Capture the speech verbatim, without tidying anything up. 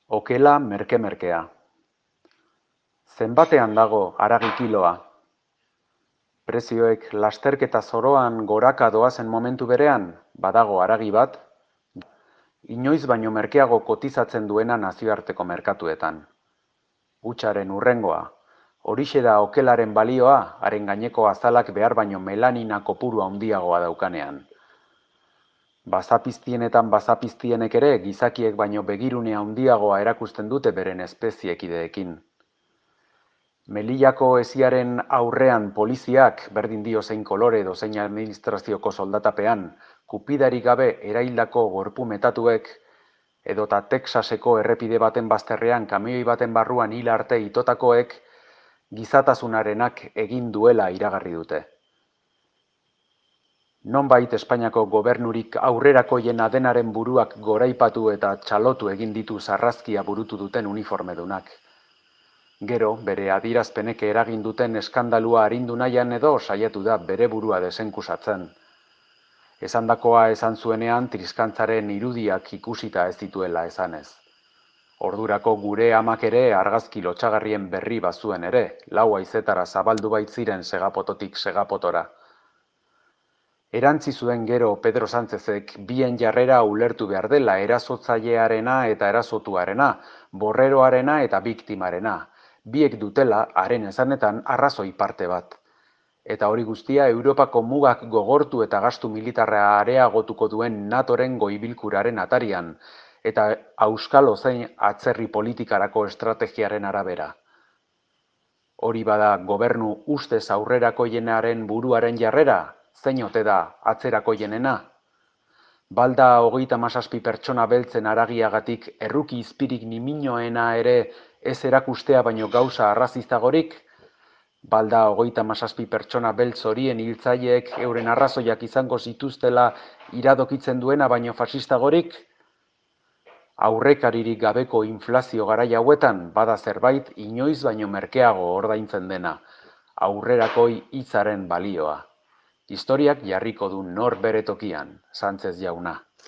Okela merke-merkea. Zenbatean dago haragi kiloa? Prezioek lasterketa zoroan goraka doazen momentu berean, badago haragi bat, inoiz baino merkeago kotizatzen duena nazioarteko merkatuetan. Hutsaren hurrengoa, horixe da okelaren balioa, haren gaineko azalak behar baino melanina kopuru handiagoa daukanean. Bazapiztienetan bazapiztienek ere gizakiek baino begirune handiagoa erakusten dute beren espeziekideekin. Melillako hesiaren aurrean poliziak, berdin dio zein kolore edo zein administrazioko soldatapean, kupidarik gabe eraildako gorpu metatuek, edota Texaseko errepide baten bazterrean kamioi baten barruan hil arte itotakoek, gizatasunarenak egin duela iragarri dute. Nonbait Espainiako gobernurik aurrerakoiena denaren buruak goraipatu eta txalotu egin ditu sarrazkia burutu duten uniformedunak. Gero, bere adierazpenek eragin duten eskandalua arindu nahian edo saiatu da bere burua desenkusatzen. Esandakoa esan zuenean triskantzaren irudiak ikusita ez dituela esanez. Ordurako gure amak ere argazki lotsagarrien berri bazuen ere, lau haizetara zabaldu baitziren segapototik segapotora. Erantzi zuen gero Pedro Sánchezek bien jarrera ulertu behar dela erasotzailearena eta erasotuarena, borreroarena eta biktimarena. Biek dutela, haren esanetan, arrazoi parte bat. Eta hori guztia Europako mugak gogortu eta gastu militarra areagotuko duen natoren goibilkuraren atarian, eta auskalo zein atzerri politikarako estrategiaren arabera. Hori bada gobernu ustez aurrerakoienaren buruaren jarrera, zein ote da atzerakoienena? Balda hogeita hamazazpi pertsona beltzen haragiagatik erruki izpirik niminoena ere ez erakustea baino gauza arrazistagorik? Balda hogeita hamazazpi pertsona beltz horien hiltzaileek euren arrazoiak izango zituztela iradokitzen duena baino fasistagorik? Aurrekaririk gabeko inflazio garai hauetan bada zerbait inoiz baino merkeago ordaintzen dena, aurrerakoi hitzaren balioa. Historiak jarriko du nor bere tokian, Sánchez jauna.